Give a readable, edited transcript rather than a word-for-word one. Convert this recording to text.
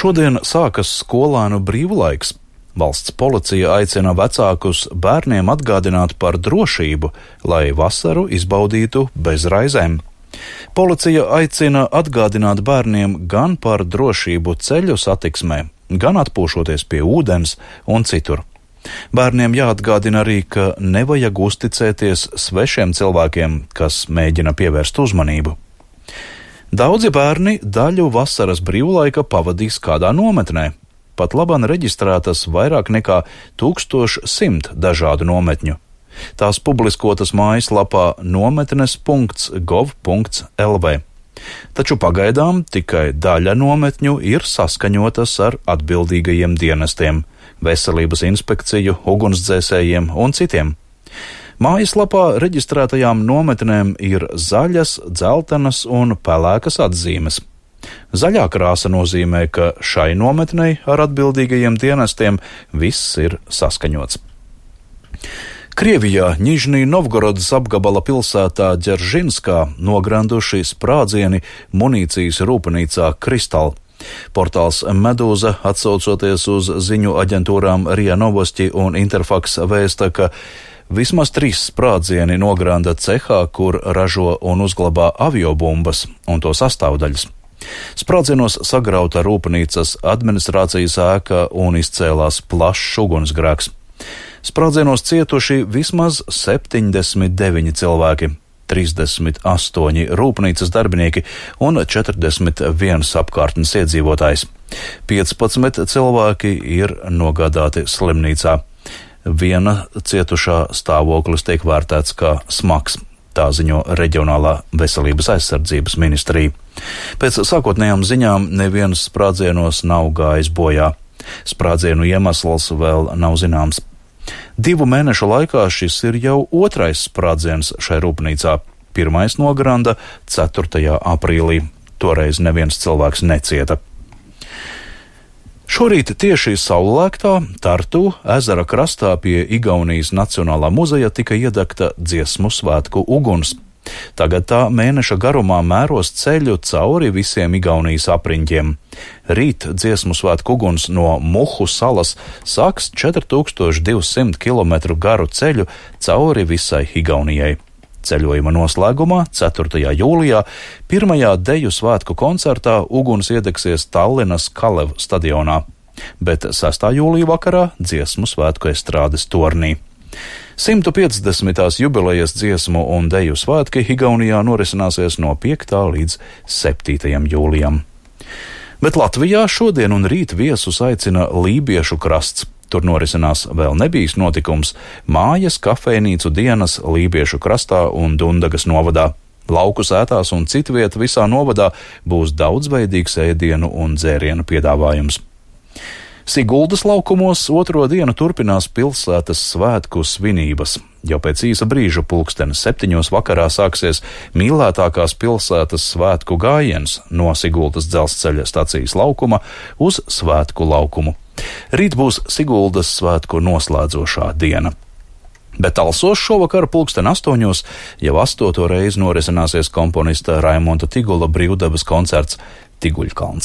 Šodien sākas skolēnu brīvlaiks. Valsts policija aicina vecākus bērniem atgādināt par drošību, lai vasaru izbaudītu bez raizēm. Policija aicina atgādināt bērniem gan par drošību ceļu satiksmē, gan atpūšoties pie ūdens un citur. Bērniem jāatgādina arī, ka nevajag uzticēties svešiem cilvēkiem, kas mēģina pievērst uzmanību. Daudzi bērni daļu vasaras brīvlaika pavadīs kādā nometnē. Pat labāk reģistrētas vairāk nekā 1100 dažādu nometņu. Tās publiskotas mājaslapā nometnes.gov.lv. Taču pagaidām tikai daļa nometņu ir saskaņotas ar atbildīgajiem dienestiem – veselības inspekciju, ugunsdzēsējiem un citiem. Mājaslapā reģistrētajām nometnēm ir zaļas, dzeltenas un pelēkas atzīmes. Zaļā krāsa nozīmē, ka šai nometnei ar atbildīgajiem dienestiem viss ir saskaņots. Krievijā Nižnī Novgorodas apgabala pilsētā Ģeržinskā nogranduši sprādzieni munīcijas rūpnīcā Kristal. Portāls Medūza, atsaucoties uz ziņu aģentūrām RIA Novosti un Interfax, vēsta, ka vismaz 3 sprādzieni nogranda cehā, kur ražo un uzglabā aviobumbas un to sastāvdaļas. Sprādzienos sagrauta rūpnīcas administrācijas ēka un izcēlās plašs ugunsgrēks. Sprādzienos cietuši vismaz 79 cilvēki, 38 rūpnīcas darbinieki un 41 apkārtnes iedzīvotājs. 15 cilvēki ir nogādāti slimnīcā. Viena cietušā stāvoklis tiek vērtēts kā smags. Tā ziņo Reģionālā veselības aizsardzības ministrija. Pēc sākotnējām ziņām neviens sprādzienos nav gājis bojā. Sprādzienu iemesls vēl nav zināms. 2 mēnešu laikā šis ir jau 2. sprādziens šai rūpnīcā. 1. nogranda 4. aprīlī. Toreiz neviens cilvēks necieta. Šorīt tieši saulēktā Tartu ezera krastā pie Igaunijas Nacionālā muzeja tika iedegta dziesmu svētku uguns. Tagad tā mēneša garumā mēros ceļu cauri visiem Igaunijas apriņķiem. Rīt dziesmu svētku uguns no Muhu salas sāks 4200 km garu ceļu cauri visai Igaunijai. Ceļojuma noslēgumā 4. jūlijā pirmajā deju svētku koncertā uguns iedegsies Tallinas Kalev stadionā, bet 6. jūlija vakarā dziesmu svētku estrādes tornī. 150. jubilejas dziesmu un deju svētki Igaunijā norisināsies no 5. līdz 7. jūlijam. Bet Latvijā šodien un rīt viesus aicina Lībiešu krasts. Tur norisinās vēl nebijis notikums – mājas kafejnīcu dienas Lībiešu krastā un Dundagas novadā. Lauku sētās un citviet visā novadā būs daudzveidīgs ēdienu un dzērienu piedāvājums. Siguldas laukumos 2. dienu turpinās pilsētas svētku svinības. Jau pēc īsa brīža 7:00 vakarā sāksies mīlētākās pilsētas svētku gājiens no Siguldas dzelzceļa stacijas laukuma uz svētku laukumu. Rīt būs Siguldas svētku noslēdzošā diena. Bet Talsos šovakar 8:00 jau 8. reizi norisināsies komponista Raimonda Tigula brīvdabas koncerts Tiguļkalns.